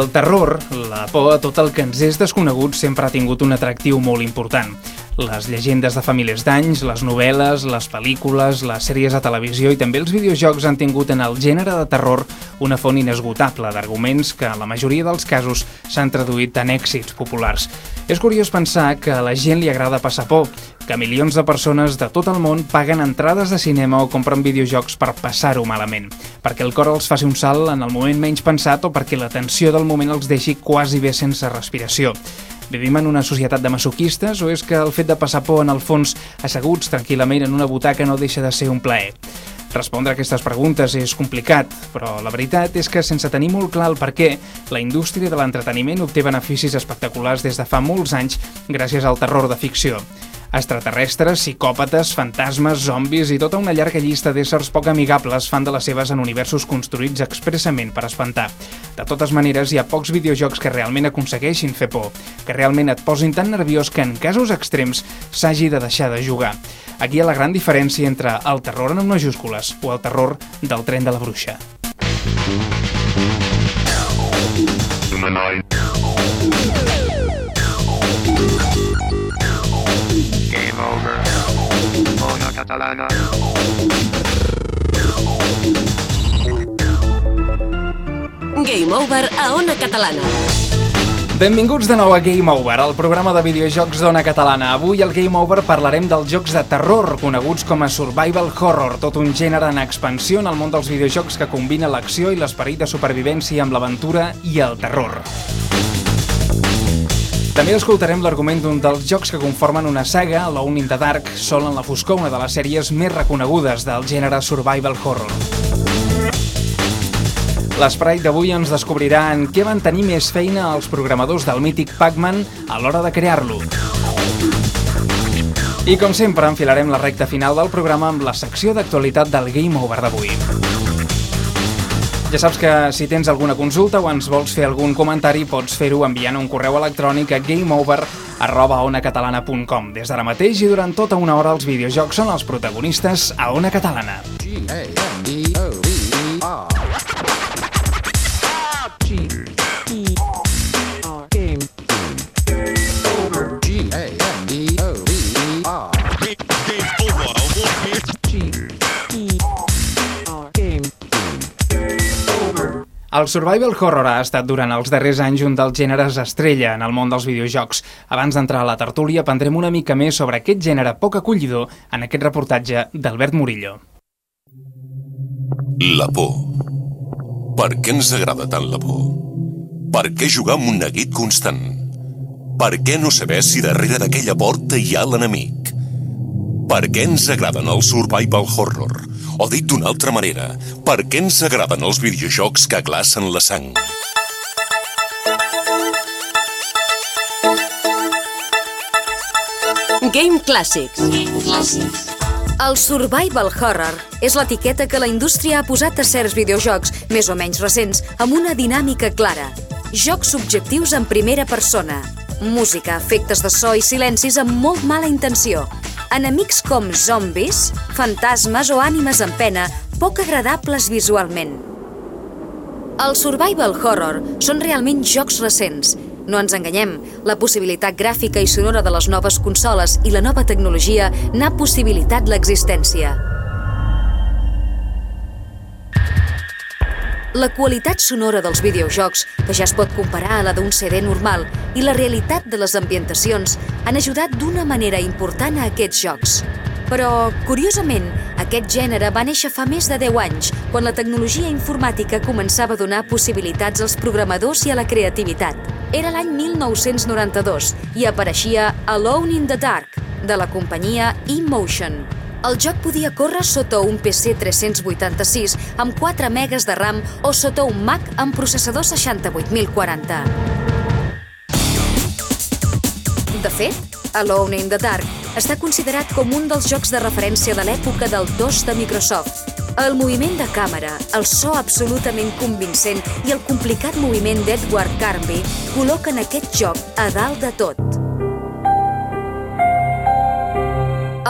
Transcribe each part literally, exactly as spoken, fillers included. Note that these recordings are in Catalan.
El terror, la por a tot el que ens és desconegut, sempre ha tingut un atractiu molt important. Les llegendes de fa milers d'anys, les novel·les, les pel·lícules, les sèries de televisió i també els videojocs han tingut en el gènere de terror una font inesgotable d'arguments que en la majoria dels casos s'han traduït en èxits populars. És curiós pensar que a la gent li agrada passar por, que milions de persones de tot el món paguen entrades de cinema o compren videojocs per passar-ho malament, perquè el cor els faci un salt en el moment menys pensat o perquè la tensió del moment els deixi quasi bé sense respiració. Vivim en una societat de masoquistes o és que el fet de passar por en el fons asseguts tranquil·lament en una butaca no deixa de ser un plaer? Respondre a aquestes preguntes és complicat, però la veritat és que sense tenir molt clar el per què, la indústria de l'entreteniment obté beneficis espectaculars des de fa molts anys gràcies al terror de ficció. Extraterrestres, psicòpates, fantasmes, zombis i tota una llarga llista d'éssers poc amigables fan de les seves en universos construïts expressament per espantar. De totes maneres, hi ha pocs videojocs que realment aconsegueixin fer por, que realment et posin tan nerviós que en casos extrems s'hagi de deixar de jugar. Aquí hi ha la gran diferència entre el terror en majúscules o el terror del tren de la bruixa. Game over. Ona Catalana. Game over a Ona Catalana. Benvinguts de nou a Game Over, el programa de videojocs d'Ona Catalana. Avui al Game Over parlarem dels jocs de terror, coneguts com a survival horror, tot un gènere en expansió en el món dels videojocs que combina l'acció i l'esperit de supervivència amb l'aventura i el terror. També escoltarem l'argument d'un dels jocs que conformen una saga, Alone in the Dark, Sol en la foscor, una de les sèries més reconegudes del gènere survival horror. L'Sprite d'avui ens descobrirà en què van tenir més feina els programadors del mític Pac-Man a l'hora de crear-lo. I com sempre enfilarem la recta final del programa amb la secció d'actualitat del Game Over d'avui. Ja saps que si tens alguna consulta o ens vols fer algun comentari pots fer-ho enviant un correu electrònic a gameover arroba onacatalana punt com. Des d'ara mateix i durant tota una hora els videojocs són els protagonistes a Ona Catalana. G A M E O V E R G E R Game Over G A M E O V E R Game Over G E R Game El survival horror ha estat durant els darrers anys un dels gèneres estrella en el món dels videojocs. Abans d'entrar a la tertúlia aprendrem una mica més sobre aquest gènere poc acollidor en aquest reportatge d'Albert Murillo. La por. Per què ens agrada tant la por? Per què jugar amb un neguit constant? Per què no saber si darrere d'aquella porta hi ha l'enemic? Per què ens agraden els survival horror? O dit d'una altra manera, per què ens agraden els videojocs que glacen la sang? Game Classics. El survival horror és l'etiqueta que la indústria ha posat a certs videojocs, més o menys recents, amb una dinàmica clara. Jocs subjectius en primera persona. Música, efectes de so i silencis amb molt mala intenció. Enemics com zombis, fantasmes o ànimes en pena, poc agradables visualment. El survival horror són realment jocs recents. No ens enganyem, la possibilitat gràfica i sonora de les noves consoles i la nova tecnologia n'ha possibilitat l'existència. La qualitat sonora dels videojocs, que ja es pot comparar a la d'un C D normal, i la realitat de les ambientacions han ajudat d'una manera important a aquests jocs. Però, curiosament, aquest gènere va néixer fa més de deu anys, quan la tecnologia informàtica començava a donar possibilitats als programadors i a la creativitat. Era l'any mil nou-cents noranta-dos i apareixia Alone in the Dark, de la companyia eMotion. El joc podia córrer sota un P C tres-cents vuitanta-sis amb quatre megas de RAM o sota un Mac amb processador seixanta-vuit mil quaranta. De fet, Alone in the Dark està considerat com un dels jocs de referència de l'època del DOS de Microsoft. El moviment de càmera, el so absolutament convincent i el complicat moviment d'Edward Carnby col·loquen aquest joc a dalt de tot.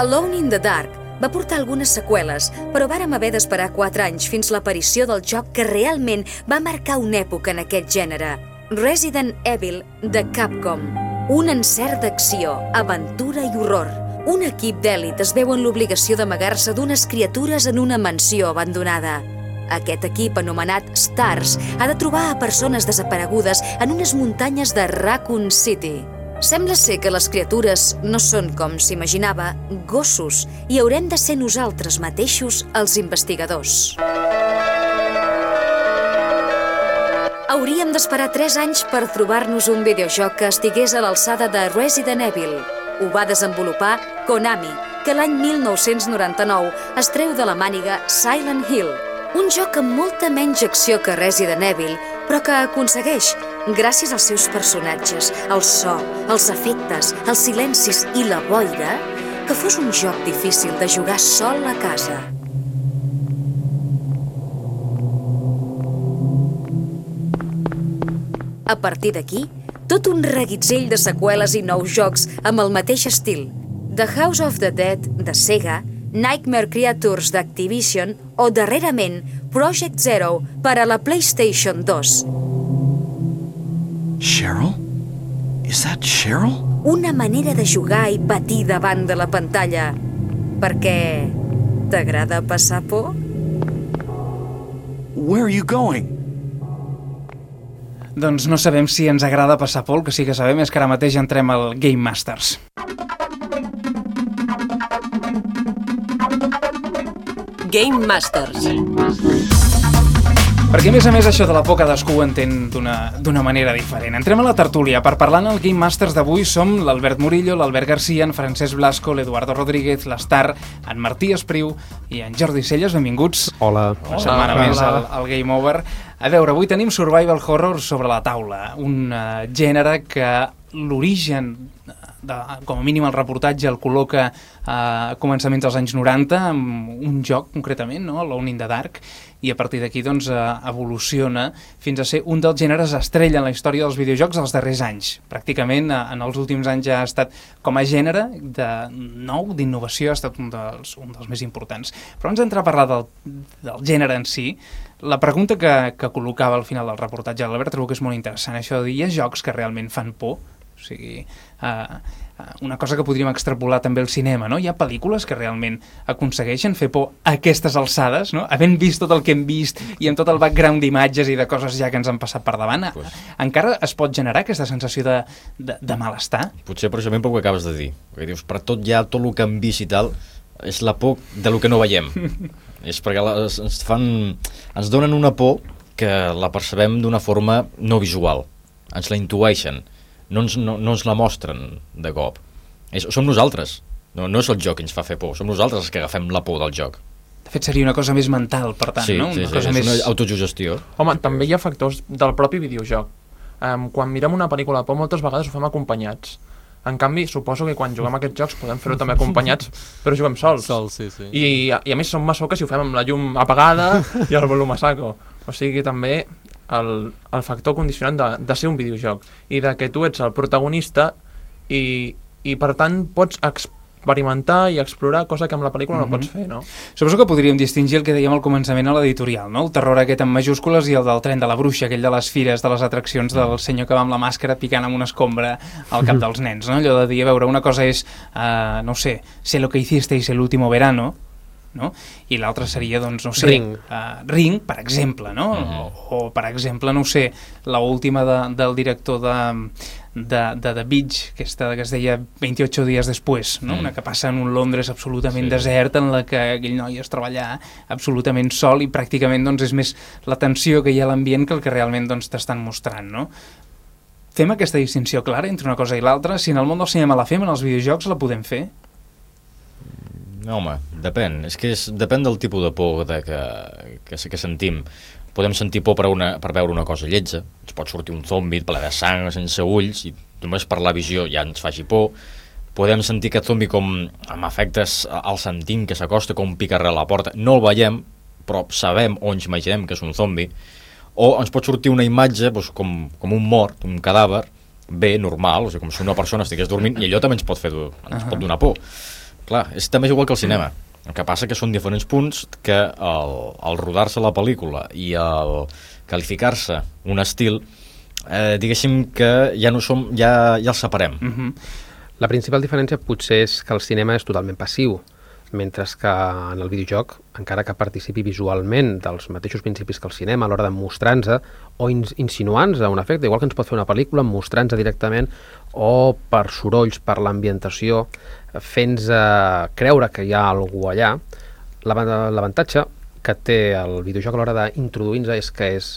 Alone in the Dark va portar algunes seqüeles, però vàrem haver d'esperar quatre anys fins l'aparició del joc que realment va marcar una època en aquest gènere, Resident Evil de Capcom. Un encert d'acció, aventura i horror. Un equip d'èlit es veu en l'obligació d'amagar-se d'unes criatures en una mansió abandonada. Aquest equip, anomenat STARS, ha de trobar a persones desaparegudes en unes muntanyes de Raccoon City. Sembla ser que les criatures no són, com s'imaginava, gossos, i haurem de ser nosaltres mateixos els investigadors. Hauríem d'esperar tres anys per trobar-nos un videojoc que estigués a l'alçada de Resident Evil. Ho va desenvolupar Konami, que l'any mil nou-cents noranta-nou es treu de la màniga Silent Hill, un joc amb molta menys acció que Resident Evil, però que aconsegueix, gràcies als seus personatges, el so, els efectes, els silencis i la boira, que fos un joc difícil de jugar sol a casa. A partir d'aquí, tot un reguitzell de seqüeles i nous jocs amb el mateix estil. The House of the Dead, de Sega, Nightmare Creatures d'Activision o, darrerament, Project Zero per a la PlayStation dos. Cheryl? Is that Cheryl? Una manera de jugar i patir davant de la pantalla. Perquè t'agrada passar por? Where are you going? Doncs no sabem si ens agrada passar por, el que sí que sabem és que ara mateix entrem al Game Masters. Game Masters. Perquè, a més a més, això de la por cadascú ho entén d'una manera diferent. Entrem a la tertúlia. Per parlar en el Game Masters d'avui som l'Albert Murillo, l'Albert Garcia, en Francesc Blasco, l'Eduardo Rodríguez, l'Estar, en Martí Espriu i en Jordi Celles. Benvinguts. Hola. Una setmana més al, al Game Over. A veure, avui tenim Survival Horror sobre la taula, un uh, gènere que l'origen, de, com a mínim el reportatge, el col·loca a començaments dels anys noranta, amb un joc concretament, no? Alone in the Dark, i a partir d'aquí doncs, evoluciona fins a ser un dels gèneres estrella en la història dels videojocs dels darrers anys. Pràcticament en els últims anys ja ha estat com a gènere de nou, d'innovació, ha estat un dels, un dels més importants. Però abans d'entrar a parlar del, del gènere en si, la pregunta que, que col·locava al final del reportatge de l'Albert trobo que és molt interessant, això de dir, hi ha jocs que realment fan por? O sigui, uh, una cosa que podríem extrapolar també al cinema, no? Hi ha pel·lícules que realment aconsegueixen fer por a aquestes alçades, no? Havent vist tot el que hem vist i amb tot el background d'imatges i de coses ja que ens han passat per davant, pues, encara es pot generar aquesta sensació de, de, de malestar? Potser precisament per el que acabes de dir, perquè dius, per tot ja, tot el que hem vist i tal, és la por de lo que no veiem. És perquè les, ens fan, ens donen una por que la percebem d'una forma no visual, ens la intueixen. No ens, no, no ens la mostren de cop. És, som nosaltres. No, no és el joc que ens fa fer por, som nosaltres els que agafem la por del joc. De fet, seria una cosa més mental, per tant, sí, no? Sí, una sí, cosa és més... una autosugestió. Home, també hi ha factors del propi videojoc. Um, quan mirem una pel·lícula de por, moltes vegades ho fem acompanyats. En canvi, suposo que quan juguem a aquests jocs podem fer-ho també acompanyats, però juguem sols. Sol, sí, sí. I, I a més som massoques si ho fem amb la llum apagada i el volum a saco. O sigui, també el, el factor condicionant de, de ser un videojoc i de que tu ets el protagonista i, i per tant pots experimentar i explorar, cosa que amb la pel·lícula mm-hmm. no pots fer, no? Suposo que podríem distingir el que dèiem al començament a l'editorial, no? El terror aquest amb majúscules i el del tren de la bruixa, aquell de les fires, de les atraccions del senyor que va amb la màscara picant amb una escombra al cap dels nens, no? Allò de dir, a veure, una cosa és, uh, no sé, sé lo que hicisteis el último verano, no? I l'altre seria, doncs, no sé... Ring. Uh, Ring, per exemple, no? Uh-huh. O, o, per exemple, no sé, l'última de, del director de... de, de The Beach, aquesta que es deia veintiocho días después, no? Mm. Una que passa en un Londres absolutament sí. desert, en la que aquell noi es treballa absolutament sol i pràcticament doncs, és més la tensió que hi ha a l'ambient que el que realment doncs, t'estan mostrant, no? Fem aquesta distinció clara entre una cosa i l'altra? Si en el món del cinema la fem, en els videojocs la podem fer? No, home, depèn. És que és, depèn del tipus de por de que, que, que sentim. Podem sentir por per, una, per veure una cosa lletja, ens pot sortir un zombi ple de sang, sense ulls, i només per la visió ja ens faci por. Podem sentir aquest zombi com amb efectes al sentim que s'acosta, com pica a la porta. No el veiem, però sabem o ens imaginem que és un zombi. O ens pot sortir una imatge doncs, com, com un mort, un cadàver, bé, normal, o sigui, com si una persona estigués dormint, i allò també ens pot, fer, ens uh-huh. pot donar por. Clar, és també igual que el cinema. El que passa que són diferents punts que el, el rodar-se la pel·lícula i el qualificar-se un estil eh, diguéssim que ja no som, ja, ja els separem. Uh-huh. La principal diferència potser és que el cinema és totalment passiu, mentre que en el videojoc, encara que participi visualment dels mateixos principis que el cinema a l'hora de mostrar-nos o insinuar-nos un efecte, igual que ens pot fer una pel·lícula, mostrant-nos directament o per sorolls, per l'ambientació, fent-nos creure que hi ha algú allà. L'avantatge que té el videojoc a l'hora d'introduir-nos és que és,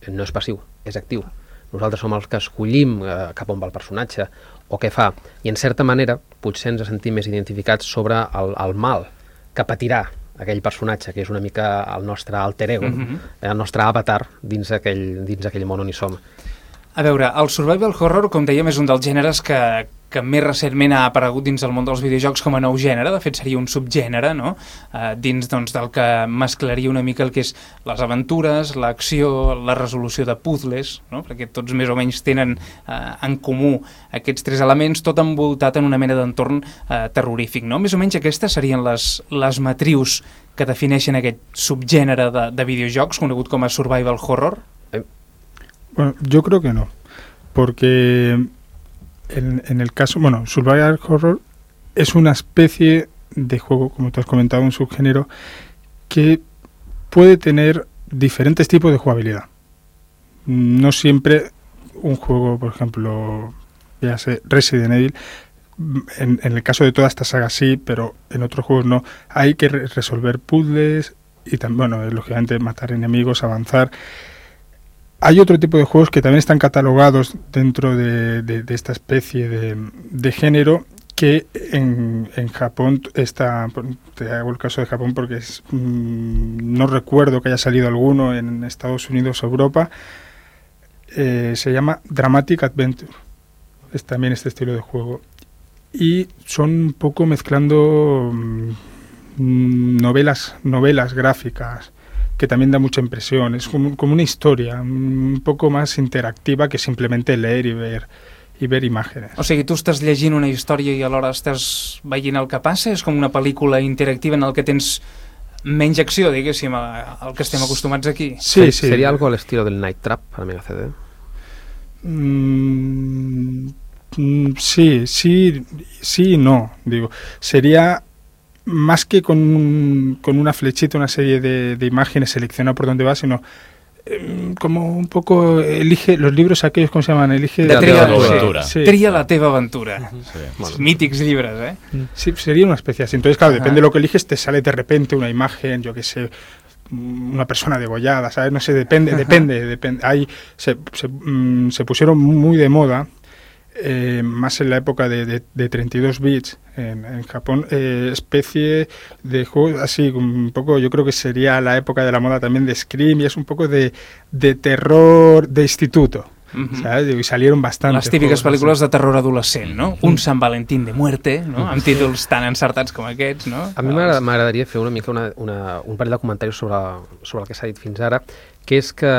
no és passiu, és actiu. Nosaltres som els que escollim eh, cap on va el personatge o què fa, i en certa manera potser ens sentim més identificats sobre el, el mal que patirà aquell personatge, que és una mica el nostre alter ego, mm-hmm. el nostre avatar dins aquell, dins aquell món on hi som. A veure, el survival horror, com dèiem, és un dels gèneres que, que més recentment ha aparegut dins el món dels videojocs com a nou gènere. De fet, seria un subgènere, no? Uh, dins doncs, del que mesclaria una mica el que és les aventures, l'acció, la resolució de puzzles, no? Perquè tots més o menys tenen uh, en comú aquests tres elements, tot envoltat en una mena d'entorn uh, terrorífic, no? Més o menys aquestes serien les, les matrius que defineixen aquest subgènere de, de videojocs, conegut com a survival horror. Bueno, yo creo que no, porque en, en el caso, bueno, survival horror es una especie de juego, como tú has comentado, un subgénero que puede tener diferentes tipos de jugabilidad. No siempre un juego, por ejemplo, ya sé, Resident Evil, en, en el caso de toda esta saga sí, pero en otros juegos no. Hay que re resolver puzzles y también, bueno, lógicamente matar enemigos, avanzar. Hay otro tipo de juegos que también están catalogados dentro de, de, de esta especie de, de género, que en, en Japón está, te hago el caso de Japón porque es, mmm, no recuerdo que haya salido alguno en Estados Unidos o Europa, eh, se llama Dramatic Adventure, es también este estilo de juego, y son un poco mezclando mmm, novelas, novelas gráficas, que también da mucha impresión, es como, como una historia un poco más interactiva que simplemente leer i ver, i ver imágenes. O sigui, tu estàs llegint una història i alhora estàs veient el que passa? És com una pel·lícula interactiva en el que tens menys acció, diguéssim, al que estem acostumats aquí? Sí, sí. ¿Sería algo al estilo del Night Trap para Mega C D? Mm, sí, sí, sí y no, digo, sería... más que con, un, con una flechita, una serie de, de imágenes, selecciona por dónde va, sino eh, como un poco elige los libros aquellos, ¿cómo se llaman? Elige de la tria, teva aventura. Sí. Tria la teva aventura. Uh-huh. Sí. Bueno. Mítics llibres, ¿eh? Sí, sería una especie así. Entonces, claro, uh-huh. depende de lo que eliges, te sale de repente una imagen, yo qué sé, una persona degollada, ¿sabes? No sé, depende, uh-huh. depende, depende. Ahí se, se, mm, se pusieron muy de moda, Eh, más en la época de, de, de treinta y dos bits en, en Japón, eh, especie de juegos así, un poco, yo creo que sería la época de la moda también de Scream, y es un poco de, de terror de instituto. Uh-huh. ¿Sabes? Y salieron bastantes. Les típiques pel·lícules de terror adolescent, no? Un Sant Valentín de muerte, no? Amb títols tan encertats com aquests, no? A mi m'agradaria fer una mica una, una, un parell de comentaris sobre, sobre el que s'ha dit fins ara, que és que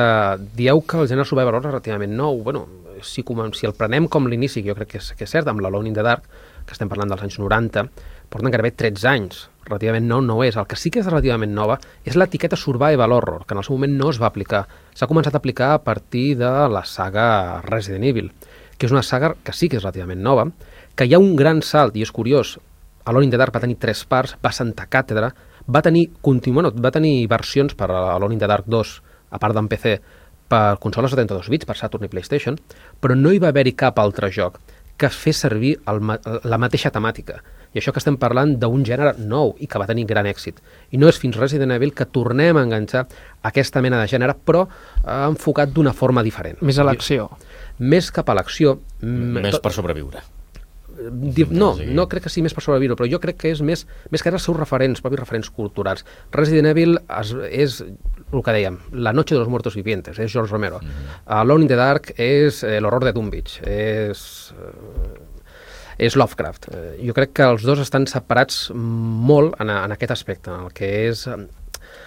dieu que el gènere survival horror és relativament nou. Bueno, si, si el prenem com l'inici, que jo crec que és, que és cert, amb l'Alone in the Dark, que estem parlant dels anys noranta, porten gairebé tretze anys. Relativament nou no és. El que sí que és relativament nova és l'etiqueta survival horror, que en el seu moment no es va aplicar. S'ha començat a aplicar a partir de la saga Resident Evil, que és una saga que sí que és relativament nova, que hi ha un gran salt, i és curiós, Alone in the Dark va tenir tres parts, va sentar càtedra, va tenir, continu, bueno, va tenir versions per a Alone in the Dark dos, a part d'en P C, per consoles de trenta-dos bits, per Saturn i PlayStation, però no hi va haver-hi cap altre joc que fes servir el, la mateixa temàtica. I això que estem parlant d'un gènere nou i que va tenir gran èxit. I no és fins Resident Evil que tornem a enganxar aquesta mena de gènere, però eh, enfocat d'una forma diferent. Més a l'acció. Més cap a l'acció. Més per sobreviure. No, no crec que sigui més per sobreviure, però jo crec que és més, més que els seus referents, propis referents culturals. Resident Evil és, és el que dèiem, La noche de los muertos vivientes, és George Romero. Mm-hmm. Alone in the Dark és eh, l'horror de Dunwich, és, eh, és Lovecraft. Eh, jo crec que els dos estan separats molt en, en aquest aspecte, en el que és, en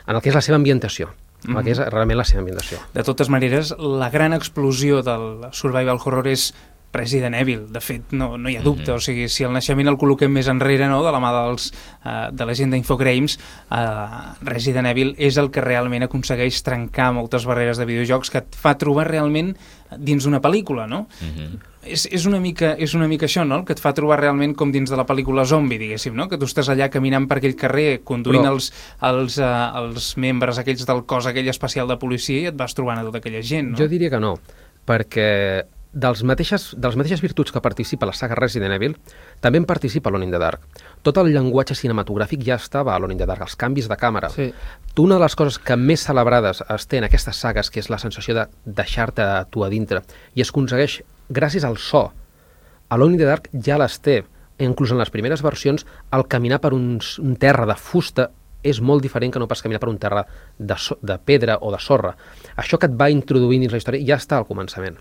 el que és la seva ambientació. Mm-hmm. El que és realment la seva ambientació. De totes maneres, la gran explosió del survival horror és Resident Evil. De fet, no, no hi ha dubte. Mm-hmm. O sigui, si el naixement el col·loquem més enrere, no?, de la mà dels, uh, de la gent d'Infogrames, uh, Resident Evil és el que realment aconsegueix trencar moltes barreres de videojocs, que et fa trobar realment dins d'una pel·lícula, no? Mm-hmm. És, és, una mica, és una mica això, no?, el que et fa trobar realment com dins de la pel·lícula Zombie, diguéssim, no?, que tu estàs allà caminant per aquell carrer, conduint Però... els, els, uh, els membres aquells del cos aquell especial de policia i et vas trobant a tota aquella gent, no? Jo diria que no, perquè dels mateixes, de les mateixes virtuts que participa la saga Resident Evil, també en participa Alone in the Dark. Tot el llenguatge cinematogràfic ja estava a Alone in the Dark, els canvis de càmera. Sí. Una de les coses que més celebrades es té en aquestes sagues, que és la sensació de deixar-te tu a dintre, i es aconsegueix gràcies al so. Alone in the Dark ja les té, inclús en les primeres versions, el caminar per un, un terra de fusta és molt diferent que no pas caminar per un terra de, so, de pedra o de sorra. Això que et va introduint dins la història ja està al començament.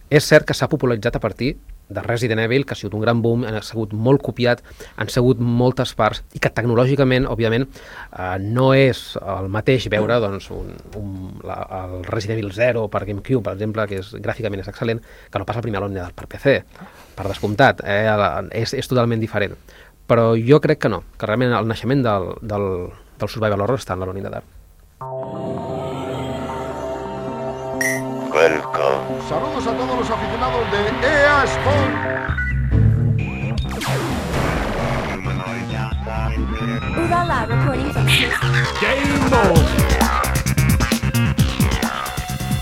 És cert que s'ha popularitzat a partir de Resident Evil, que ha sigut un gran boom, ha sigut molt copiat, han sigut moltes parts, i que tecnològicament, òbviament, eh, no és el mateix veure doncs, un, un, la, el Resident Evil zero per GameCube, per exemple, que és, gràficament és excel·lent, que no passa el primer Alone in the Dark per P C, per descomptat, eh, és, és totalment diferent. Però jo crec que no, que realment el naixement del, del, del Survival Horror està en l'Alone in the Dark. Welcome. Saludos a todos los aficionados de E A Sport. Udala recording from Game Over.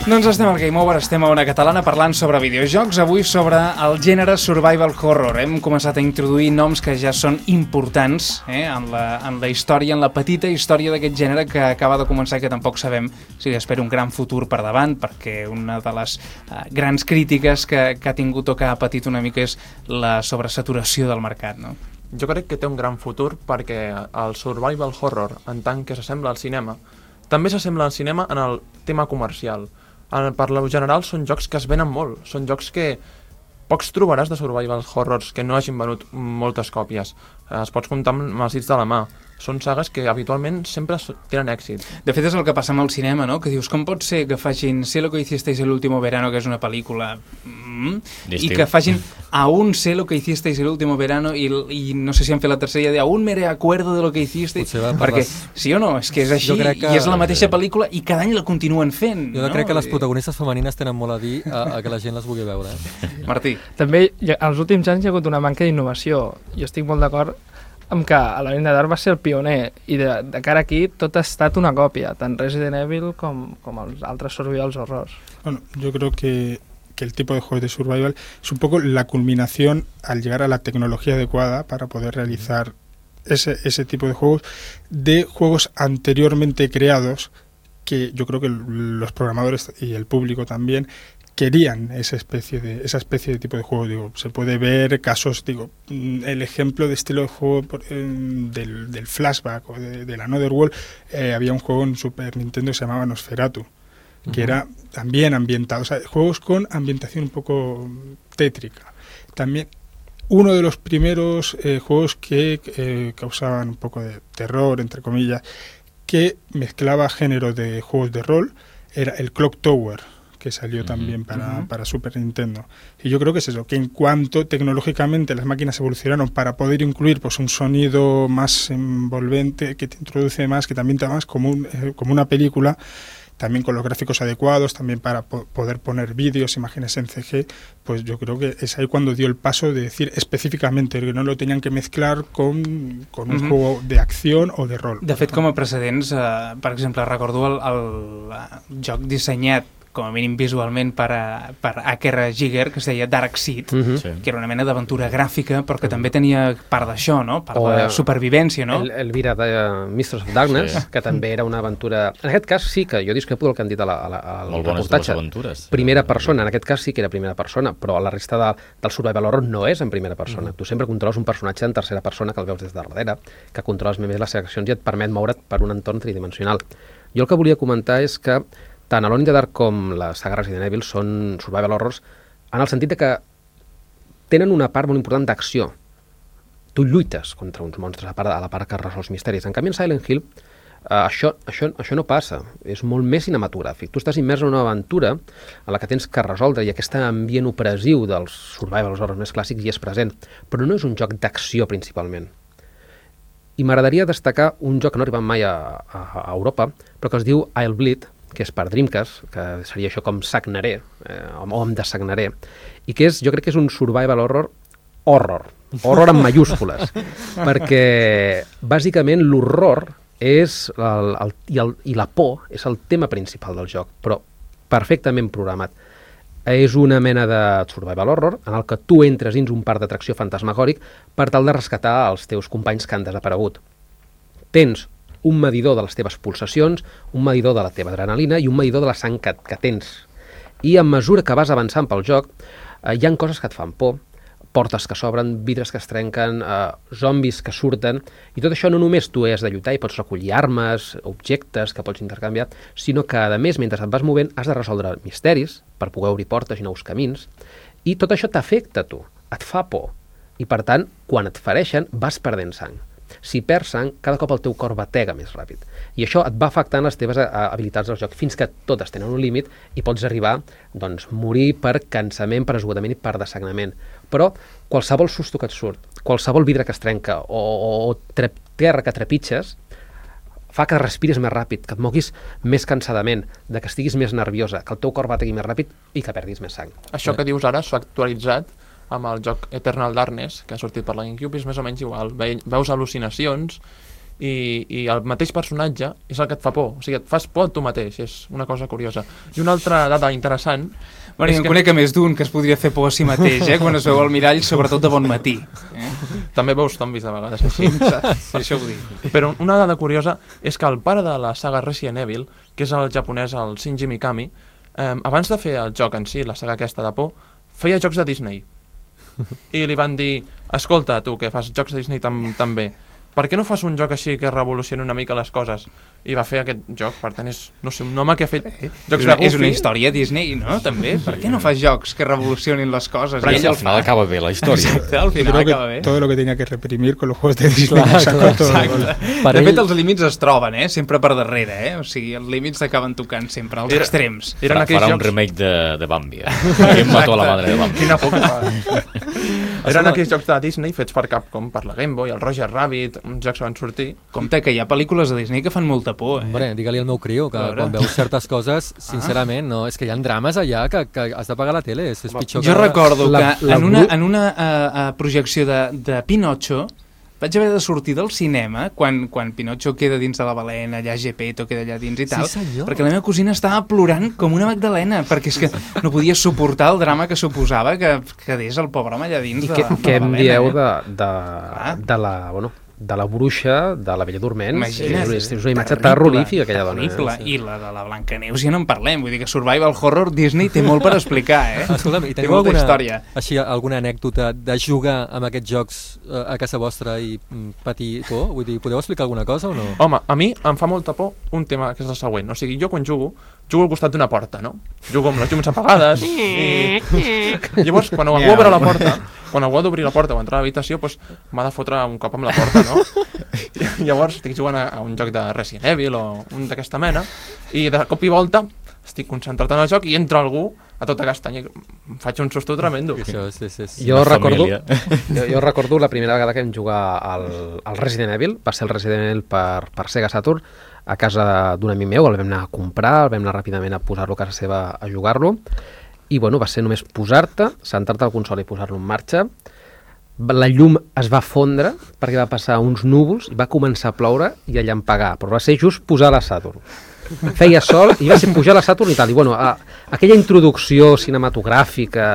Doncs estem al Game Over, estem a Ona Catalana parlant sobre videojocs, avui sobre el gènere Survival Horror. Hem començat a introduir noms que ja són importants eh, en, la, en la història, en la petita història d'aquest gènere que acaba de començar i que tampoc sabem si espera un gran futur per davant, perquè una de les uh, grans crítiques que, que ha tingut o que ha patit una mica és la sobresaturació del mercat, no? Jo crec que té un gran futur perquè el Survival Horror, en tant que s'assembla al cinema, també s'assembla al cinema en el tema comercial. Per lo general són jocs que es venen molt, són jocs que pocs trobaràs de survival horrors que no hagin venut moltes còpies. Es pots comptar amb els dits de la mà. Són sagues que habitualment sempre tenen èxit. De fet és el que passa amb el cinema, no? Que dius, com pot ser que facin Sé lo que hicisteis el último verano, que és una pel·lícula mm, i que facin Aún sé lo que hicisteis el último verano i, i no sé si han fet la tercera de Aún me recuerdo de lo que hicisteis, perquè les... sí o no, és que és així que... i és la mateixa pel·lícula i cada any la continuen fent. Jo no? crec que les protagonistes femenines tenen molt a dir a, a que la gent les vulgui veure. Eh? Martí. També, als últims anys hi ha hagut una manca d'innovació. Jo estic molt d'acord amb que Alone in the Dark va ser el pioner i de, de cara aquí tot ha estat una còpia, tant Resident Evil com, com els altres survival horrors. Bueno, yo creo que, que el tipo de juegos de survival es un poco la culminación al llegar a la tecnología adecuada para poder realizar ese, ese tipo de juegos, de juegos anteriormente creados que yo creo que los programadores y el público también querían esa especie de esa especie de tipo de juego. Digo, se puede ver casos, digo, el ejemplo de estilo de juego eh, del, del flashback o de, de la Another World. Eh, había un juego en Super Nintendo que se llamaba Nosferatu, uh-huh. que era también ambientado, o sea, juegos con ambientación un poco tétrica. También uno de los primeros eh, juegos que eh, causaban un poco de terror, entre comillas, que mezclaba géneros de juegos de rol, era el Clock Tower, que salió uh-huh, también para, uh-huh. para Super Nintendo. Y yo creo que es eso, que en cuanto tecnológicamente las máquinas evolucionaron para poder incluir pues un sonido más envolvente, que te introduce más, que también te da más como, un, eh, como una película, también con los gráficos adecuados, también para po- poder poner vídeos, imágenes en C G, pues yo creo que es ahí cuando dio el paso de decir específicamente que no lo tenían que mezclar con, con un uh-huh. juego de acción o de rol. De fet, com a precedents, eh, per exemple, recordo el, el, el joc dissenyat com a mínim visualment per, a, per H R Giger, que es deia Darkseid, uh-huh. sí. que era una mena d'aventura gràfica, però que uh-huh. també tenia part d'això, no? Part o de supervivència, no? El, el Elvira de uh, Mistress of Darkness, sí. que també era una aventura... En aquest cas sí que jo discrepo del que han dit a la, a la, al Molt reportatge. Aventures. Primera persona, en aquest cas sí que era primera persona, però la resta de, del survival horror no és en primera persona. Uh-huh. Tu sempre controles un personatge en tercera persona que el veus des de darrere, que controles més les accions i et permet moure't per un entorn tridimensional. Jo el que volia comentar és que tant Alone in the Dark com la saga Resident Evil són survival horrors en el sentit de que tenen una part molt important d'acció. Tu lluites contra uns monstres a, part, a la part que resols misteris. En canvi, en Silent Hill Uh, això, això, això no passa, és molt més cinematogràfic. Tu estàs immers en una aventura en la que tens que resoldre i aquest ambient opressiu dels survival horrors més clàssics hi és present, però no és un joc d'acció principalment. I m'agradaria destacar un joc que no ha arribat mai a, a, a Europa, però que es diu I'll Bleed, que és per Dreamcast, que seria això com sagnaré, eh, o em desagnaré, i que és, jo crec que és un survival horror horror, horror en mayúscules, perquè bàsicament l'horror és el, el, i, el, i la por és el tema principal del joc, però perfectament programat. És una mena de survival horror en el que tu entres dins un parc d'atracció fantasmagòric per tal de rescatar els teus companys que han desaparegut. Tens un medidor de les teves pulsacions, un medidor de la teva adrenalina i un medidor de la sang que, que tens. I a mesura que vas avançant pel joc, eh, hi ha coses que et fan por, portes que s'obren, vidres que es trenquen, eh, zombis que surten, i tot això no només tu has de lluitar i pots recollir armes, objectes que pots intercanviar, sinó que, a més, mentre et vas movent, has de resoldre misteris per poder obrir portes i nous camins, i tot això t'afecta a tu, et fa por, i per tant, quan et fereixen, vas perdent sang. Si perds sang, cada cop el teu cor batega més ràpid. I això et va afectant les teves habilitats del joc, fins que totes tenen un límit i pots arribar doncs, morir per cansament, per esgotament i per desagnament. Però qualsevol susto que et surt, qualsevol vidre que es trenca o, o, o tre terra que trepitges, fa que respiris més ràpid, que et moguis més cansadament, de que estiguis més nerviosa, que el teu cor bategui més ràpid i que perdis més sang. Això que dius ara s'ha actualitzat amb el joc Eternal Darkness, que ha sortit per la GameCube, és més o menys igual. Ve veus al·lucinacions i, i el mateix personatge és el que et fa por. O sigui, et fas por tu mateix, és una cosa curiosa. I una altra dada interessant... Bueno, jo en que... conec a més d'un que es podria fer por a si mateix, eh? Quan es veu al mirall, sobretot de bon matí. Eh? També veus zombis de vegades així. Per això ho dic. Però una dada curiosa és que el pare de la saga Resident Evil, que és el japonès, el Shinji Mikami, eh, abans de fer el joc en si, la saga aquesta de por, feia jocs de Disney. I li van dir, escolta, tu que fas jocs de Disney tam també, per què no fas un joc així que revolucioni una mica les coses? I va fer aquest joc, per tant és, no sé, un home que ha fet jocs és una, de Goofy. És una història Disney, no? També, per què no fas jocs que revolucionin les coses? Però ell al final acaba bé la història. Exacte, al final acaba bé. Todo lo que tenía que reprimir con los juegos de Disney. Clar, clar, exacte. De fet, els límits es troben, eh? Sempre per darrere, eh? O sigui, els límits s'acaben tocant sempre, als Era, extrems. Farà, farà un remake de, de Bambi. Em mató a la madre de Bambi. Quina por que fa. Eren aquells jocs de Disney fets per Capcom, per la Game Boy, el Roger Rabbit, uns jocs que van sortir. Compte que hi ha pel·lícules de Disney que fan molta por, eh? Hombre, digue-li al meu criu que quan veus certes coses, sincerament, no, és que hi ha drames allà que, que has d'apagar la tele, és, és pitjor jo que... recordo la, que la, en una, en una uh, uh, projecció de, de Pinocho vaig haver de sortir del cinema quan, quan Pinocho queda dins de la balena, allà Geppetto queda allà dins i tal, sí, perquè la meva cosina estava plorant com una magdalena, perquè és que no podia suportar el drama que suposava que quedés el pobre home allà dins I de, que, la, de què la balena. Què em dieu eh? de, de, de la... Bueno, de la bruixa de la Bella Dorment. Imagina't, és, és una imatge terrorífica aquella dona. Terrible. Eh? I la de la Blancaneus ja no en parlem, vull dir que Survival Horror Disney té molt per explicar, eh? Escolta'm, i té teniu molta alguna, història. Així, alguna anècdota de jugar amb aquests jocs eh, a casa vostra i mm, patir por? Vull dir, podeu explicar alguna cosa o no? Home, a mi em fa molta por un tema que és el següent. O sigui, jo quan jugo, jugo al costat d'una porta, no? Jugo amb les llums apagades i... Llavors, quan algú obre la porta, quan algú ha d'obrir la porta o entrar a l'habitació, doncs m'ha de fotre un cop amb la porta, no? Llavors estic jugant a, a un joc de Resident Evil o un d'aquesta mena i de cop i volta estic concentrat en el joc i entra algú a tota castanya i em faig un susto tremendo. Això és, és, és jo, recordo, jo, jo recordo la primera vegada que vam jugar al, al Resident Evil, va ser el Resident Evil per, per Sega Saturn, a casa d'un amic meu, el vam anar a comprar, el vam anar ràpidament a posar-lo a casa seva a jugar-lo, i bueno, va ser només posar-te, centrar-te al console i posar-lo en marxa. La llum es va fondre perquè va passar uns núvols i va començar a ploure i a llampegar, però va ser just posar la Saturn. Feia sol i va ser pujar la Saturn i tal, i bueno, a, aquella introducció cinematogràfica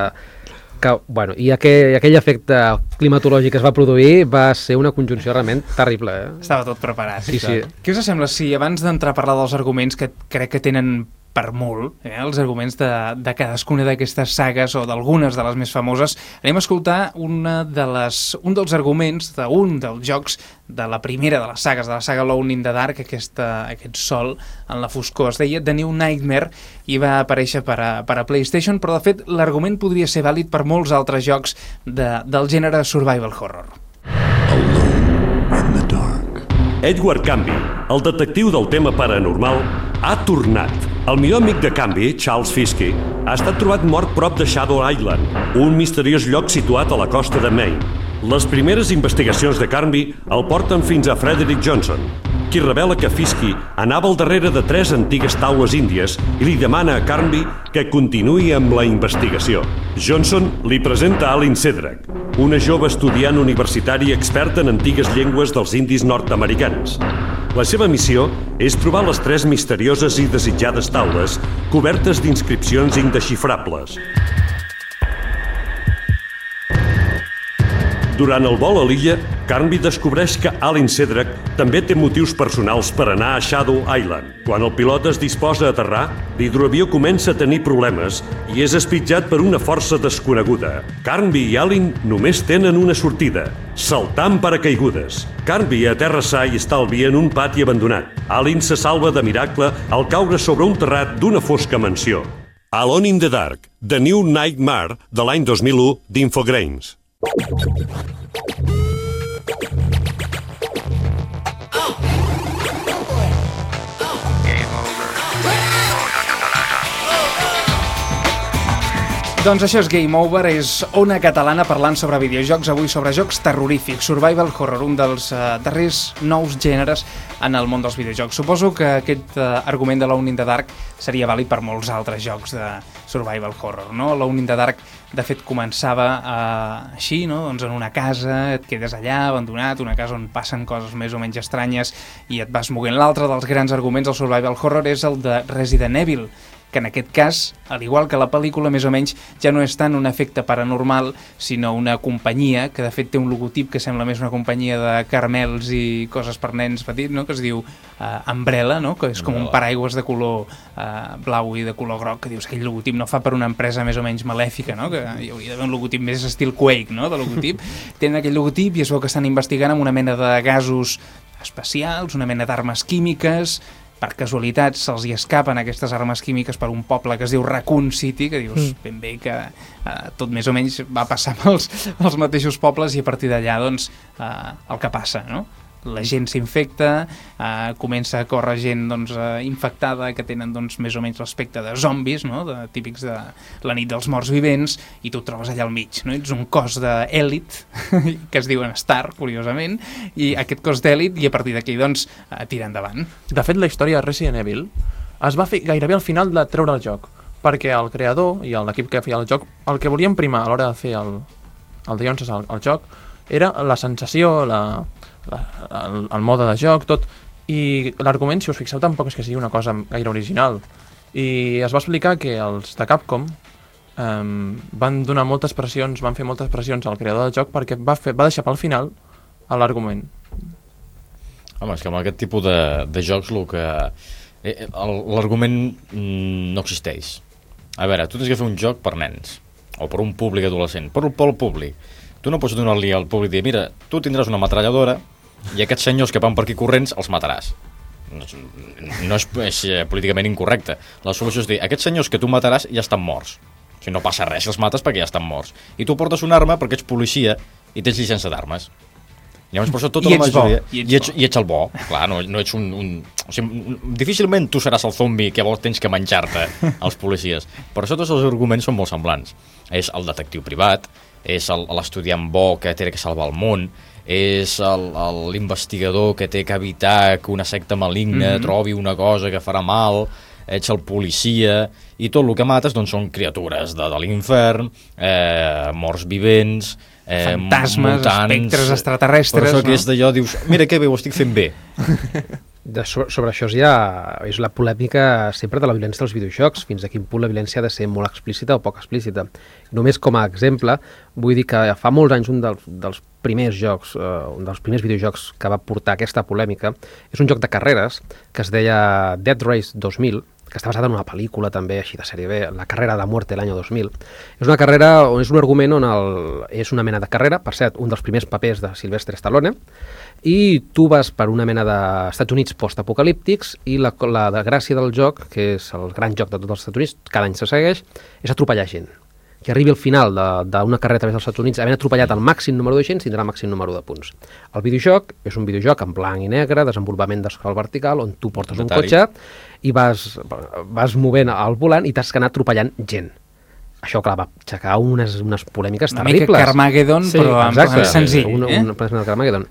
que, bueno, i aquell, aquell efecte climatològic que es va produir va ser una conjunció realment terrible. Eh? Estava tot preparat. Sí, sí. Què us sembla si abans d'entrar a parlar dels arguments que crec que tenen per molt, eh, els arguments de, de cadascuna d'aquestes sagues o d'algunes de les més famoses, anem a escoltar una de les, un dels arguments d'un dels jocs de la primera de les sagues, de la saga Alone in the Dark, aquesta, aquest sol en la foscor. Es deia The New Nightmare i va aparèixer per a, per a PlayStation, però de fet l'argument podria ser vàlid per molts altres jocs de, del gènere Survival Horror. Alone in the dark. Edward Canby, el detectiu del tema paranormal, ha tornat. El millor amic de Canby, Charles Fiske, ha estat trobat mort prop de Shadow Island, un misteriós lloc situat a la costa de Maine. Les primeres investigacions de Canby el porten fins a Frederick Johnson, qui revela que Fiske anava al darrere de tres antigues taules índies i li demana a Canby que continuï amb la investigació. Johnson li presenta Alin Sedrak, una jove estudiant universitari experta en antigues llengües dels indis nord-americans. La seva missió és trobar les tres misterioses i desitjades taules cobertes d'inscripcions indesxifrables. Durant el vol a l'illa, Canby descobreix que Alin Sedrak també té motius personals per anar a Shadow Island. Quan el pilot es disposa a aterrar, l'hidroavió comença a tenir problemes i és espitjat per una força desconeguda. Canby i Alin només tenen una sortida, saltar amb paracaigudes. Canby aterra sa i estalvi en un pati abandonat. Alin se salva de miracle al caure sobre un terrat d'una fosca mansió. Alone in the Dark, The New Nightmare, de l'any dos mil u d'Infogrames. Doncs això és Game Over, és Ona Catalana parlant sobre videojocs, avui sobre jocs terrorífics, survival horror, un dels uh, darrers nous gèneres en el món dels videojocs. Suposo que aquest uh, argument de Alone in the Dark seria vàlid per molts altres jocs de survival horror, no? Alone in the Dark, de fet, començava uh, així, no? Doncs en una casa, et quedes allà, abandonat, una casa on passen coses més o menys estranyes i et vas moguent. L'altre dels grans arguments del survival horror és el de Resident Evil, que en aquest cas, al igual que la pel·lícula, més o menys, ja no és tant un efecte paranormal, sinó una companyia, que de fet té un logotip que sembla més una companyia de caramels i coses per nens petits, no? Que es diu uh, Umbrella, no? Que és com un paraigües de color uh, blau i de color groc, que dius que aquell logotip no fa per una empresa més o menys malèfica, no? Que hi hauria d'haver un logotip més estil Quake, no? De logotip. Tenen aquell logotip i es veu que estan investigant amb una mena de gasos especials, una mena d'armes químiques. Per casualitat se'ls hi escapen aquestes armes químiques per un poble que es diu Raccoon City, que dius ben bé que eh, tot més o menys va passar amb els, els mateixos pobles i a partir d'allà doncs eh, el que passa, no? La gent s'infecta, eh, comença a córrer gent doncs, eh, infectada que tenen doncs, més o menys l'aspecte de zombis, no? De, típics de la nit dels morts vivents, i tu et trobes allà al mig, no? Ets un cos d'èlit que es diuen Star, curiosament, i aquest cos d'èlit, i a partir d'aquí doncs eh, tira endavant. De fet, la història de Resident Evil es va fer gairebé al final de treure el joc, perquè el creador i l'equip que feia el joc el que volien primar a l'hora de fer el, el de Jones al, al joc era la sensació, la La, el, el mode de joc, tot, i l'argument, si us fixeu, tampoc és que sigui una cosa gaire original, i es va explicar que els de Capcom um, van donar moltes pressions, van fer moltes pressions al creador del joc perquè va, fer, va deixar pel final l'argument. Home, és que amb aquest tipus de, de jocs el que eh, l'argument mm, no existeix. A veure, tu tens que fer un joc per nens o per un públic adolescent, per pel públic. Tu no pots donar-li al públic i dir, mira, tu tindràs una metralladora i aquests senyors que van per aquí corrents els mataràs. No és, no és, és políticament incorrecte. La solució és dir, aquests senyors que tu mataràs ja estan morts. O sigui, no passa res si els mates perquè ja estan morts. I tu portes una arma perquè ets policia i tens llicència d'armes. Llavors, per això tota I la majoria... Bo, i, ets I, ets, I ets el bo. Clar, no, no ets un... un o sigui, difícilment tu seràs el zombi que vols tens que menjar-te als policies. Per això tots els arguments són molt semblants. És el detectiu privat, és l'estudiant bo que té que salvar el món, és l'investigador que té que evitar que una secta maligna mm-hmm. trobi una cosa que farà mal, ets el policia, i tot el que mates doncs, són criatures de, de l'infern, eh, morts vivents, eh, fantasmes, mutants, espectres extraterrestres. Per això no? que és d'allò, dius, mira que bé, ho estic fent bé. De, sobre, sobre això ja és la polèmica sempre de la violència dels videojocs, fins a quin punt la violència ha de ser molt explícita o poc explícita. Només com a exemple, vull dir que fa molts anys un dels, dels primers jocs, eh, un dels primers videojocs que va portar aquesta polèmica, és un joc de carreres que es deia Death Race dos mil, que està basada en una pel·lícula també així de sèrie B, La carrera de muerte l'any dos mil. És una carrera, on és un argument on el, és una mena de carrera, per cert, un dels primers papers de Sylvester Stallone, i tu vas per una mena d'Estats Units post-apocalíptics i la, la gràcia del joc, que és el gran joc de tots els Estats Units, cada any se segueix, és atropellar gent. que arribi al final d'una carrera a través dels Estats Units havent atropellat el màxim número de gent, tindrà el màxim número de punts. El videojoc és un videojoc en blanc i negre, desenvolupament d'escala vertical, on tu portes un Atari. cotxe i vas, vas movent al volant i t'has d'anar atropellant gent. Això, clar, va aixecar unes, unes polèmiques una terribles. Una mica Carmageddon, sí, però en plan senzill. Un, eh? un, un Carmageddon.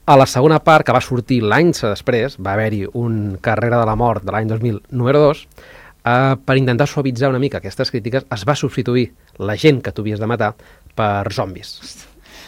A la segona part, que va sortir l'any després, va haver-hi un Carrera de la Mort de l'any dos mil número dos, Uh, per intentar suavitzar una mica aquestes crítiques, es va substituir la gent que tu havies de matar per zombis.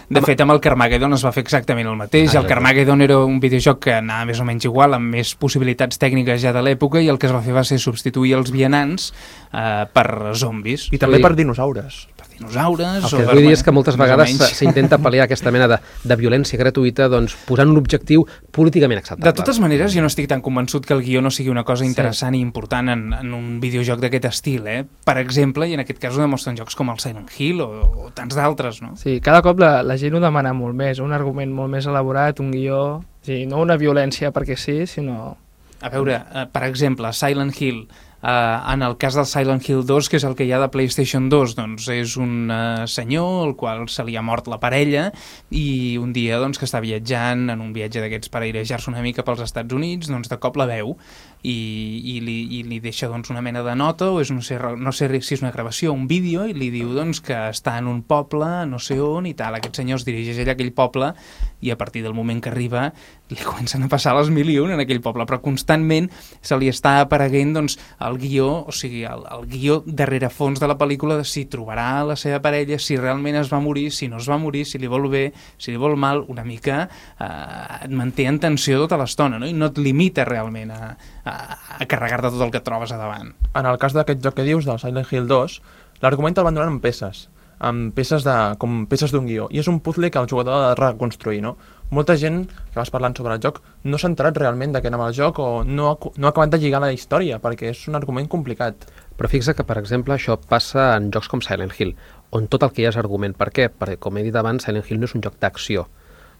De fet, amb el Carmageddon es va fer exactament el mateix. Ah, el Carmageddon era un videojoc que anava més o menys igual, amb més possibilitats tècniques ja de l'època, i el que es va fer va ser substituir els vianants uh, per zombis. I també per dinosaures. Per dinosaures... El que vull dir és que moltes vegades s'intenta pal·liar aquesta mena de, de violència gratuïta doncs, posant un objectiu políticament acceptable. De totes maneres, jo no estic tan convençut que el guió no sigui una cosa interessant sí. i important en, en un videojoc d'aquest estil. Eh? Per exemple, i en aquest cas ho demostren jocs com el Silent Hill o, o tants d'altres, no? Sí, cada cop la, la gent ho demana molt més, un argument molt més elaborat, un guió... Sí, no una violència perquè sí, sinó... A veure, uh, per exemple, Silent Hill, uh, en el cas del Silent Hill dos, que és el que hi ha de PlayStation dos, doncs és un uh, senyor al qual se li ha mort la parella i un dia doncs, que està viatjant en un viatge d'aquests per airejar-se una mica pels Estats Units, doncs de cop la veu i, i, li, i li deixa doncs, una mena de nota, o és, no, sé, no sé si és una gravació o un vídeo, i li diu doncs, que està en un poble, no sé on i tal. Aquest senyor es dirigeix a aquell poble i a partir del moment que arriba li comencen a passar les mil i un en aquell poble, però constantment se li està apareguent doncs, el guió, o sigui, el, el guió darrere fons de la pel·lícula de si trobarà la seva parella, si realment es va morir, si no es va morir, si li vol bé, si li vol mal, una mica eh, et manté en tensió tota l'estona, no? I no et limita realment a, a, a carregar-te tot el que et trobes a davant. En el cas d'aquest joc que dius, del Silent Hill dos, l'argument el van donar en peces, amb peces de, com peces d'un guió, i és un puzzle que el jugador ha de reconstruir, no? Molta gent que vas parlant sobre el joc no s'ha enterat realment de què anava el joc o no ha, no ha acabat de lligar la història, perquè és un argument complicat. Però fixa que, per exemple, això passa en jocs com Silent Hill, on tot el que hi ha és argument. Per què? Perquè, com he dit abans, Silent Hill no és un joc d'acció.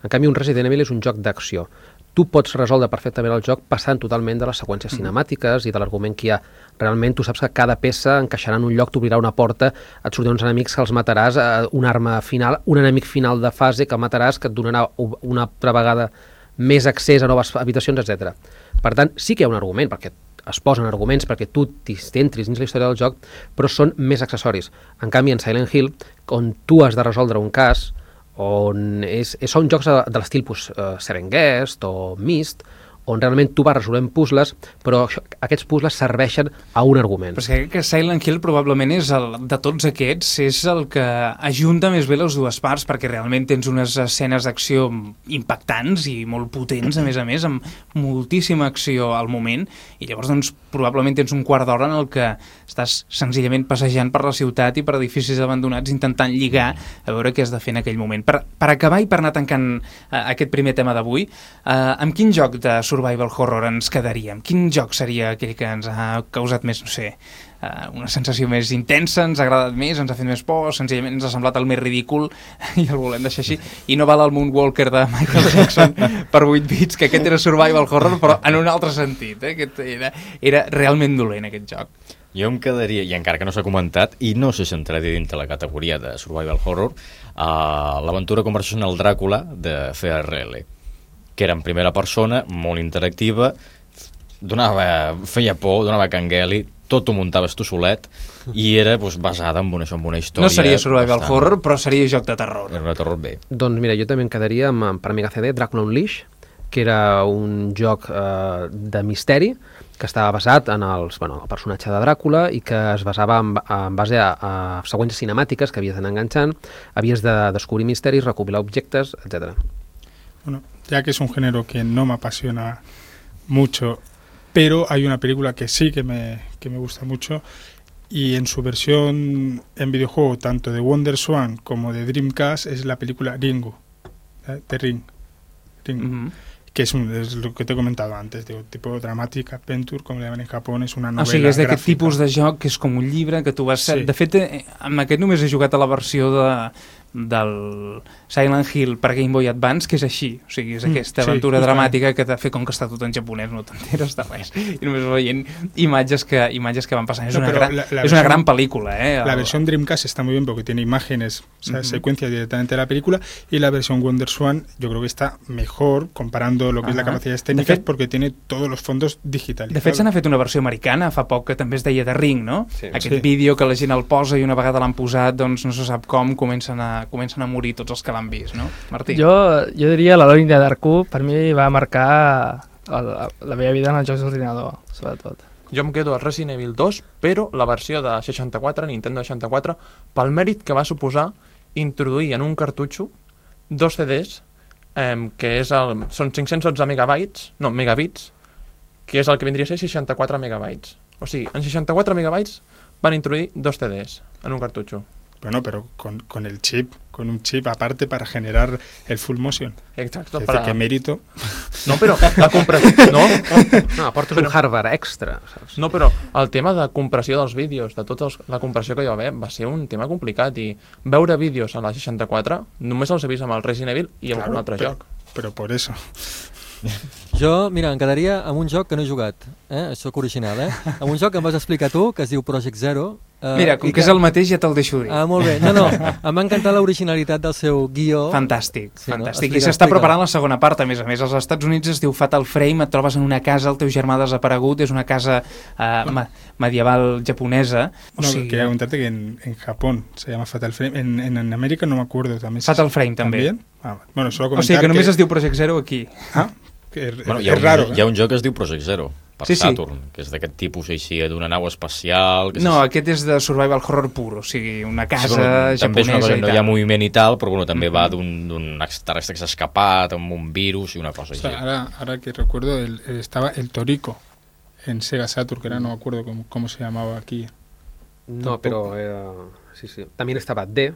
En canvi, un Resident Evil és un joc d'acció. Tu pots resoldre perfectament el joc passant totalment de les seqüències cinemàtiques i de l'argument que hi ha. Realment tu saps que cada peça encaixarà en un lloc, t'obrirà una porta, et sortiran uns enemics que els mataràs, una arma final, un enemic final de fase que el mataràs, que et donarà una altra vegada més accés a noves habitacions, etcètera. Per tant, sí que hi ha un argument, perquè es posen arguments perquè tu t'entris dins la història del joc, però són més accessoris. En canvi, en Silent Hill, on tu has de resoldre un cas, on és, són jocs de, de l'estil pues, uh, Seven Guest o Myst, on realment tu vas resolent puzzles, però això, aquests puzzles serveixen a un argument. Però és que, que Silent Hill probablement és el, de tots aquests, és el que ajunta més bé les dues parts, perquè realment tens unes escenes d'acció impactants i molt potents, a més a més, amb moltíssima acció al moment, i llavors doncs, probablement tens un quart d'hora en el que estàs senzillament passejant per la ciutat i per edificis abandonats intentant lligar a veure què has de fer en aquell moment. Per, per acabar i per anar tancant uh, aquest primer tema d'avui, uh, amb quin joc de survival horror ens quedaríem? Quin joc seria aquell que ens ha causat més, no sé, uh, una sensació més intensa, ens ha agradat més, ens ha fet més por, senzillament ens ha semblat el més ridícul i el volem deixar així? I no val el Moonwalker de Michael Jackson per vuit bits, que aquest era survival horror, però en un altre sentit, eh? Aquest era, era realment dolent, aquest joc. Jo em quedaria, i encara que no s'ha comentat, i no sé si entraria dintre la categoria de survival horror, uh, l'aventura conversacional Dràcula de C R L, que era en primera persona, molt interactiva, donava, feia por, donava cangueli, tot ho muntaves tu solet, i era doncs, basada en una, en una història... No seria survival bastant... horror, però seria joc de terror. Era un terror bé. Doncs mira, jo també em quedaria amb, per Amiga C D, Dràcula Unleashed, que era un joc eh, de misteri, que estava basat en els, bueno, el personatge de Dràcula i que es basava en, en base a, a seqüències cinemàtiques que havies d'anar enganxant, havies de descobrir misteris, recopilar objectes, etcètera. Bueno, ya que es un género que no me apasiona mucho, pero hay una película que sí que me, que me gusta mucho, y en su versión en videojuego, tanto de WonderSwan como de Dreamcast, es la película Ringu, ¿eh? de Ring, Ring. Uh-huh. Que es, un, es lo que te he comentado antes, digo, tipo Dramatic Adventure, com le llaman en Japó, és una novel·la gràfica. O sigui, és d'aquest tipus de joc que és com un llibre que tu vas... Sí. De fet, amb aquest només he jugat a la versió de del Silent Hill per Game Boy Advance, que és així, o sigui, és Mm, aquesta sí, aventura justament. dramàtica que t'ha fet com que està tot en japonès, no t'enteres de res, i només veient imatges que, imatges que van passant. És, No, una, pero gran, la- la és una versión- gran pel·lícula, eh? La El- versión Dreamcast está muy bien porque tiene imágenes, o sea, Ujú. secuencias directamente de la película, y la versión WonderSwan yo creo que está mejor comparando lo que es la Ajá. capacidades De técnicas fet- porque tiene todos los fondos digitalizados. De fet, se n'ha fet una versió americana fa poc que també es deia The Ring, no? Sí. Aquest Sí. vídeo que la gent el posa i una vegada l'han posat, doncs no se sap com, comencen a, comencen a morir tots els que l'han vist, no? Martí? Jo, jo diria la Lone Darku, per mi va marcar el, la meva vida en els jocs d'ordinador, sobretot. Jo em quedo al Resident Evil dos, però la versió de seixanta-quatre, Nintendo seixanta-quatre, pel mèrit que va suposar introduir en un cartutxo dos C Ds, eh, que és el, són cinc-cents dotze megabytes, no, megabits, que és el que vindria a ser seixanta-quatre megabytes. O sigui, en seixanta-quatre megabytes van introduir dos C Ds en un cartutxo. Bueno, pero con, con el chip, con un chip aparte para generar el full motion. Exacto. Es para- decir, que mérito. No, però la compressió... No, No, aportes un hardware extra, saps? No, però el tema de compressió dels vídeos, de tota la compressió que hi va haver, va ser un tema complicat i veure vídeos a la seixanta-quatre només els he vist amb el Resident Evil i amb Claro, un altre pero- joc. Pero por eso. Jo, mira, em quedaria amb un joc que no he jugat, eh? Soc original, eh? Amb un joc que em vas explicar tu, que es diu Project Zero. Eh, Mira, com i que és el mateix ja te'l deixo dir. Ah, molt bé. No, no, em va encantar l'originalitat del seu guió. Fantàstic, Sí, no? fantàstic. I Explica, s'està explica. preparant la segona part, a més a més. Als Estats Units es diu Fatal Frame, et trobes en una casa, el teu germà desaparegut, és una casa eh, ma medieval japonesa. O No, sigui, quería contarte que en, en Japón se llama Fatal Frame. En, en, en América no me acuerdo también. Fatal Frame també. ¿También? Ah, bueno, solo o comentar sigui que només que... es diu Project Zero aquí. Ah, que es, Bueno, es hi ha, un, raro. hi ha un joc que es diu Project Zero, per Sí, sí. Saturn, que és d'aquest tipus així, d'una nau espacial... Que No, és... aquest és de survival horror pur, o sigui, una casa Sí, bueno, també és una japonesa cosa, i no tal. hi ha moviment i tal, però bueno, també Mhm. va d'un d'un extraterrestre que s'ha escapat, amb un virus i una cosa O així. sea, ahora, ahora que recuerdo, el, el- estaba el Toriko en Sega Saturn, que era, no me acuerdo cómo, cómo se llamaba aquí. No, pero era... Sí, sí. También estaba D,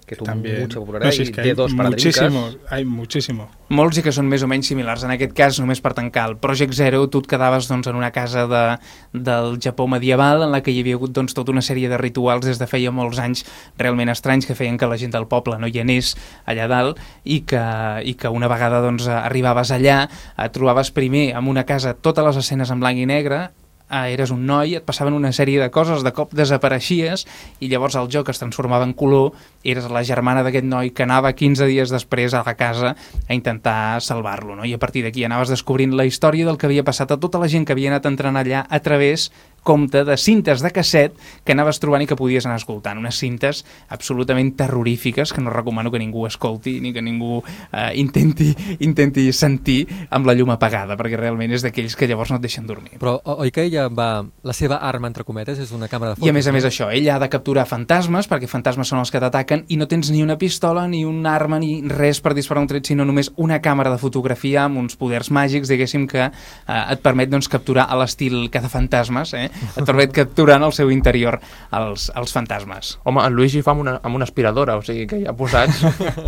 que tuvo También. mucha popularidad, No, si y es que D hay dos para muchísimo, Dreamcast. hay muchísimo. Molts i que són més o menys similars. En aquest cas, només per tancar el Project Zero, tu et quedaves doncs, en una casa de, del Japó medieval en la que hi havia hagut doncs, tota una sèrie de rituals des de feia molts anys realment estranys que feien que la gent del poble no hi anés allà dalt i que, i que una vegada doncs, arribaves allà, et trobaves primer en una casa totes les escenes en blanc i negre, ah, eres un noi, et passaven una sèrie de coses, de cop desapareixies i llavors el joc es transformava en color, eres la germana d'aquest noi que anava quinze dies després a la casa a intentar salvar-lo, no? I a partir d'aquí anaves descobrint la història del que havia passat a tota la gent que havia anat entrant allà a través compte de cintes de casset que anaves trobant i que podies anar escoltant. Unes cintes absolutament terrorífiques que no recomano que ningú escolti ni que ningú eh, intenti, intenti sentir amb la llum apagada, perquè realment és d'aquells que llavors no et deixen dormir. Però o- oi que ella va... La seva arma, entre cometes, és una càmera de fotos. I a més a més no? això, ella ha de capturar fantasmes, perquè fantasmes són els que t'ataquen, i no tens ni una pistola, ni una arma, ni res per disparar un tret, sinó només una càmera de fotografia amb uns poders màgics, diguéssim, que eh, et permet doncs, capturar a l'estil cazafantasmes, eh? Et permet capturar en el seu interior els, els fantasmes. Home, en Luigi fa amb una, amb una aspiradora, o sigui que ja posats...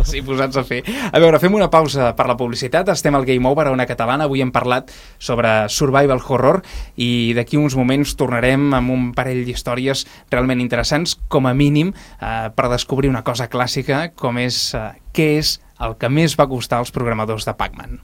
Sí, posats a fer. A veure, fem una pausa per la publicitat. Estem al Game Over a Ona Catalana. Avui hem parlat sobre survival horror i d'aquí uns moments tornarem amb un parell d'històries realment interessants, com a mínim, eh, per descobrir una cosa clàssica, com és eh, què és el que més va costar als programadors de Pac-Man.